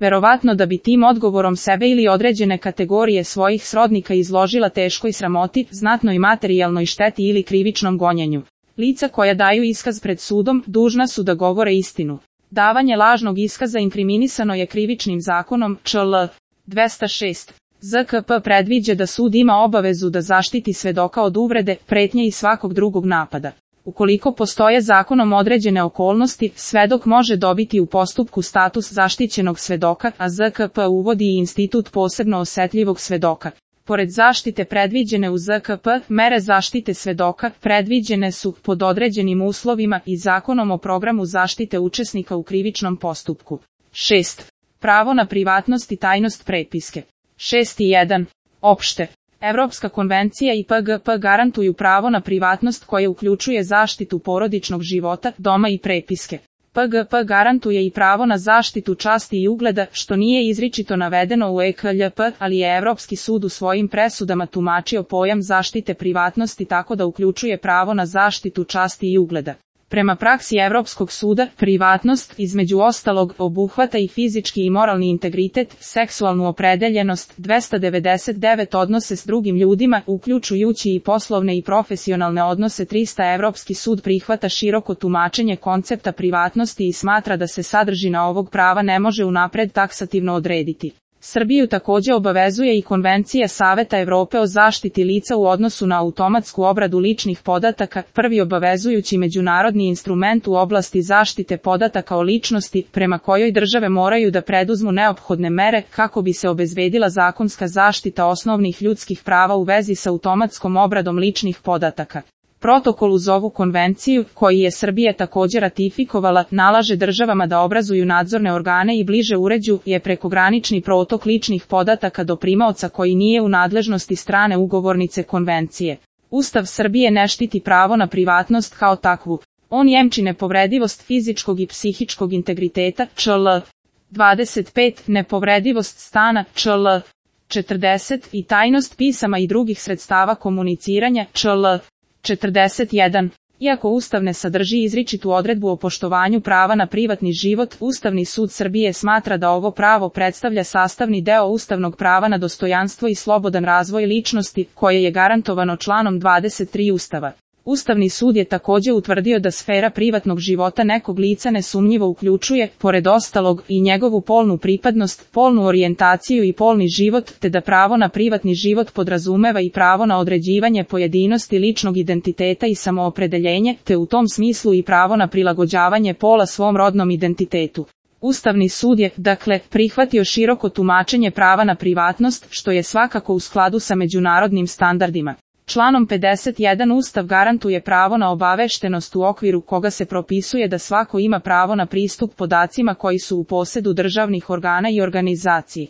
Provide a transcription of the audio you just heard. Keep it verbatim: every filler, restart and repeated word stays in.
verovatno da bi tim odgovorom sebe ili određene kategorije svojih srodnika izložila teškoj sramoti, znatnoj materijalnoj šteti ili krivičnom gonjenju. Lica koja daju iskaz pred sudom dužna su da govore istinu. Davanje lažnog iskaza inkriminisano je Krivičnim zakonom čl. dvesta šest. Z K P predviđa da sud ima obavezu da zaštiti svedoka od uvrede, pretnje i svakog drugog napada. Ukoliko postoje zakonom određene okolnosti, svedok može dobiti u postupku status zaštićenog svedoka, a Z K P uvodi i institut posebno osetljivog svedoka. Pored zaštite predviđene u Z K P, mere zaštite svedoka predviđene su pod određenim uslovima i Zakonom o programu zaštite učesnika u krivičnom postupku. šest. Pravo na privatnost i tajnost prepiske. šest jedan. Opšte. Evropska konvencija i P G P garantuju pravo na privatnost koje uključuje zaštitu porodičnog života, doma i prepiske. P G P garantuje i pravo na zaštitu časti i ugleda, što nije izričito navedeno u E K L P, ali je Evropski sud u svojim presudama tumačio pojam zaštite privatnosti tako da uključuje pravo na zaštitu časti i ugleda. Prema praksi Evropskog suda, privatnost, između ostalog, obuhvata i fizički i moralni integritet, seksualnu opredeljenost, dvesta devedeset devet odnose s drugim ljudima, uključujući i poslovne i profesionalne odnose. trista Evropski sud prihvata široko tumačenje koncepta privatnosti i smatra da se sadržina ovog prava ne može unapred taksativno odrediti. Srbiju takođe obavezuje i Konvencija Saveta Evrope o zaštiti lica u odnosu na automatsku obradu ličnih podataka, prvi obavezujući međunarodni instrument u oblasti zaštite podataka o ličnosti, prema kojoj države moraju da preduzmu neophodne mere kako bi se obezbedila zakonska zaštita osnovnih ljudskih prava u vezi sa automatskom obradom ličnih podataka. Protokol uz ovu konvenciju, koji je Srbija takođe ratifikovala, nalaže državama da obrazuju nadzorne organe i bliže uređuju je prekogranični protok ličnih podataka do primaoca koji nije u nadležnosti strane ugovornice konvencije. Ustav Srbije ne štiti pravo na privatnost kao takvu. On jemči nepovredivost fizičkog i psihičkog integriteta, čl. dvadeset pet, nepovredivost stana, čl. četrdeset, i tajnost pisama i drugih sredstava komuniciranja, čl. četrdeset jedan. Iako Ustav ne sadrži izričitu odredbu o poštovanju prava na privatni život, Ustavni sud Srbije smatra da ovo pravo predstavlja sastavni deo ustavnog prava na dostojanstvo i slobodan razvoj ličnosti, koje je garantovano članom dvadeset tri Ustava. Ustavni sud je takođe utvrdio da sfera privatnog života nekog lica nesumnjivo uključuje, pored ostalog, i njegovu polnu pripadnost, polnu orijentaciju i polni život, te da pravo na privatni život podrazumeva i pravo na određivanje pojedinosti ličnog identiteta i samoopredeljenje, te u tom smislu i pravo na prilagođavanje pola svom rodnom identitetu. Ustavni sud je, dakle, prihvatio široko tumačenje prava na privatnost, što je svakako u skladu sa međunarodnim standardima. Članom pedeset jedan Ustav garantuje pravo na obaveštenost u okviru koga se propisuje da svako ima pravo na pristup podacima koji su u posedu državnih organa i organizaciji.